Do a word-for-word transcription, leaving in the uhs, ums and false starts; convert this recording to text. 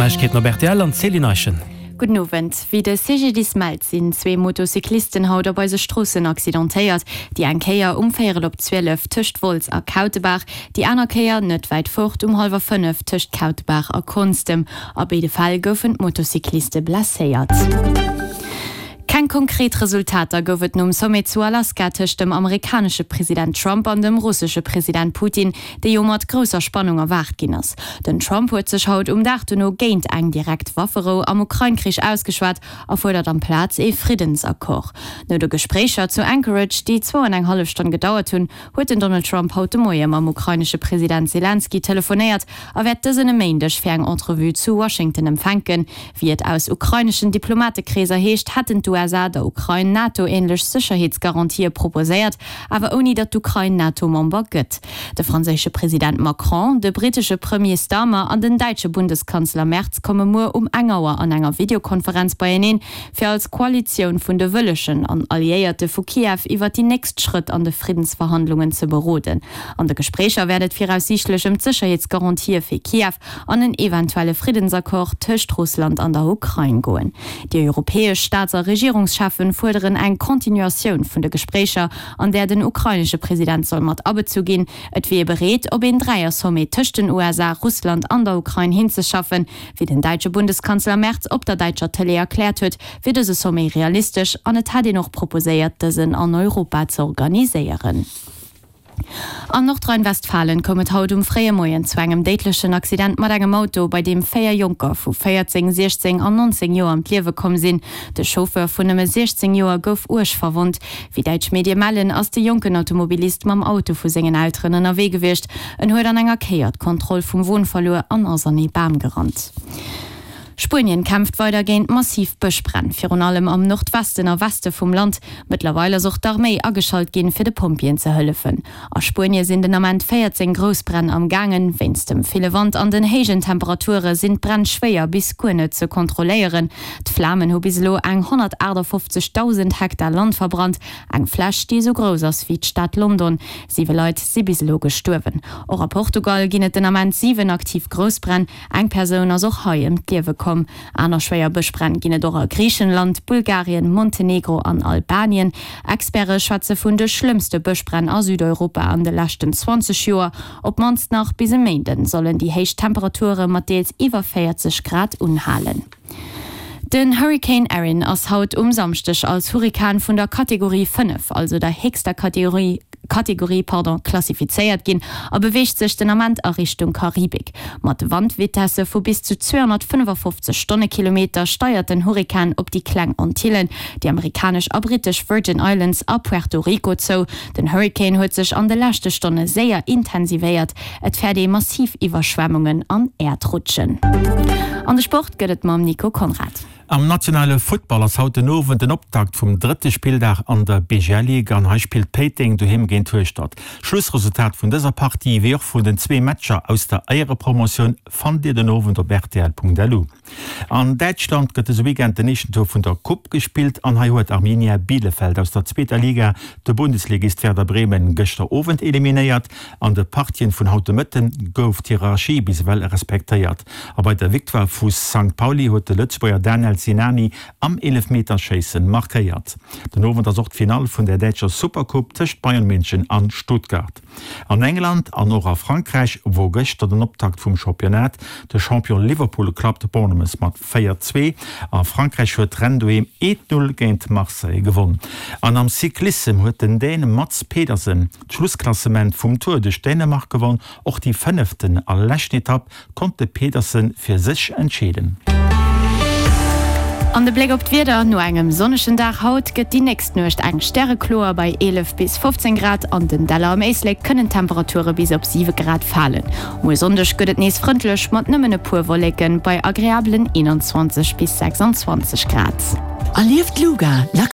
Neiegkeeten op rtl an d'Céline Eischen. Gudden Owend. Wéi de CGDIS mellt, sinn zwee Motocyclisten haut op eise Stroossen accidentéiert. Déi eng Kéier um véierel op zwielef tëscht Wolz a Kautebaach, déi aner Kéier net wäit fort um hallwer fënnef tëscht Kautebaach a Konstem. A béide Fäll goufen d'Motocycliste blesséiert. Keng konkret Resultater gouf et nom Sommet zu Alaska tëscht dem amerikanesche President Trump an dem russesche President Putin, dee jo mat grousser Spannung erwaart ginn ass. Den Trump huet sech haut um Dag dono géint eng direkt Wafferou am Ukrain-Krich ausgeschwat a fuerdert amplaz ee Friddensaccord. No de Gespréicher zu Anchorage, déi zwou an eng hallef Stonn gedauert hunn, huet den Donald Trump haut de Moie mam ukrainesche President Selenskyj telefonéiert a wäert dësen e Méindeg fir eng Entrevue zu Washington empfänken. Wéi et aus ukraineschen Diplomatekreeser heescht, hätten d'USA der Ukrain NATO-änlech Sécherheetsgarantië proposéiert, awer ouni datt d'Ukrain NATO-Member gëtt. De franséische President Macron, de brittesche Premier Starmer an den däitsche Bundeskanzler Merz komme muer um eng Auer an enger Videokonferenz beieneen, fir als Koalitioun vun de Wëllegen an Alliéierte vu Kiew iwwer déi nächst Schrëtt an de Friddensverhandlungen ze beroden. An de Gespréicher wäert et viraussiichtlech ëm d'Sécherheetsgarantië fir Kiew an en eventuelle Friddensaccord tëscht Russland an der Ukrain goen. Déi europäesch Staats a Regierungscheffen fuerderen eng Continuatioun vun de Gespréicher, an där den ukrainesche President soll mat abezu ginn. Et wier ee bereet, op een Dräier-Sommet tëscht den USA, Russland an der Ukrain hinzeschaffen. Wéi den däitsche Bundeskanzler Merz op der däitscher Tëlee erkläert huet, wier dëse Sommet realistesch an et hätt een och proposéiert, dësen an Europa ze organiséieren. An Nordrhein-Westfalen koum et haut um fréie Moien zu engem déidlechen Accident mat engem Auto, bei deem véier Jonker vu véierzéng, siechzéng an nonzéng Joer ëm d'Liewe komm sinn. De Chauffeur vun nëmme siechzéng Joer gouf uerg verwonnt. Wéi däitsch Medie mellen, ass de jonken Automobilist mam Auto vu sengen Elteren ënnerwee gewiescht. En huet an enger Kéier d'Kontroll vum Won verluer an ass an ee Bam gerannt. Spuenien kämpft weider géint massiv Bëschbränn, virun allem am Nordwesten a Weste vum Land. Mëttlerweil ass och d'Arméi ageschalt ginn, fir de Pompjeeën ze hëllefen. A Spuenie sinn den Ament véierzéng Groussbränn am gaangen. Wéinst dem ville Wand an den héijen Temperature sinn d'Bränn schwéier bis guer net ze kontrolléieren. D'Flamen hu bis elo eng honnertaachtafoffzegdausend Hektar Land verbrannt, eng Fläch, déi esou grouss ass wéi d'Stad London. Siwe Leit si bis elo gestuerwen. Och a Portugal ginn et den Ament siwen aktiv Groussbränn. Eng Persoun ass och hei ëm d'Liewe komm. Aner schwéier Bëschbränn ginn et och a Griichenland, Bulgarien, Montenegro an Albanien. Experte schwätze vun de schlëmmste Bëschbränn a Südeuropa an de leschten zwanzeg Joer. Op d'mannst nach bis e Méinde sollen déi héich Temperature mat deels iwwer véierzeg Grad unhalen. Den Hurrikan Erin ass haut um Samschdeg als Hurrikan vun der Kategorie fënnef, also der héchster Kategorie, Kategorie, pardon, klassifizéiert ginn a beweegt sech den Ament a Richtung Karibik. Mat Wandvitesse vu bis zu zweehonnertfënnefafofzeg Stonnekilometer steiert den Hurrikan op déi Kleng Antillen, déi amerikanesch a brittesch Virgin Islands a Puerto Rico zou. Den Hurrikan huet sech an de leschte Stonne séier intensivéiert. Et fäert ee massiv Iwwerschwemmungen an Äerdrutschen. An de Sport gëtt et mam Nico Conrad. Am nationale Futtball ass haut den Owend den Optakt vum drëtte Spilldag an der B G L Ligue an hei spillt Péiteng doheem géint Hueschtert. Schlussresultat vun dëser Partie wéi och vun den zwee Matcher aus der Éierepromotioun fannt dir den Owend op rtl Punkt L U. An Däitschland gëtt dëse Weekend den éischten Tour vun der Coupe gespillt an hei huet Arminia Bielefeld aus der zweeter Liga de Bundesligist Werder Bremen gëschter Owend eliminéiert. An de Partien vun haut de Mëtten gouf d'Hierarchie bis ewell respektéiert a bei der Victoire vu Sankt Pauli huet de Lëtzebuerger Daniel Sinani am Eelefmeterschéissen markéiert. Den Owend ass och d'Finall vun der däitscher Supercoupe tëscht Bayern München an Stuttgart. An England an och a Frankräich wor gëschter den Optakt vum Championnat. De Champion Liverpool klappt Bournemouth mat véier, zwee. A Frankräich huet Rennes doheem eent, null géint Marseille gewonn. An am Cyclissem huet den Dän Mads Pedersen d'Schlussklassement vum Tour duerch Dänemark gewonn. Och déi fënneften a leschten Etapp konnt de Pedersen fir sech entscheeden. An de Bléck op d'Wieder, No engem sonnegen Dag haut gëtt déi nächst Nuecht eng stärekloer bei eelef bis fofzéng Grad. An den Däller am Éislek kënnen d'Temperature bis op siwe Grad falen. Muer Sonndeg gëtt et nees frëndlech mat nëmmen e puer Wolleken bei agreabelen eenanzwanzeg bis sechsanzwanzeg Grad. Erlieft d'Luga.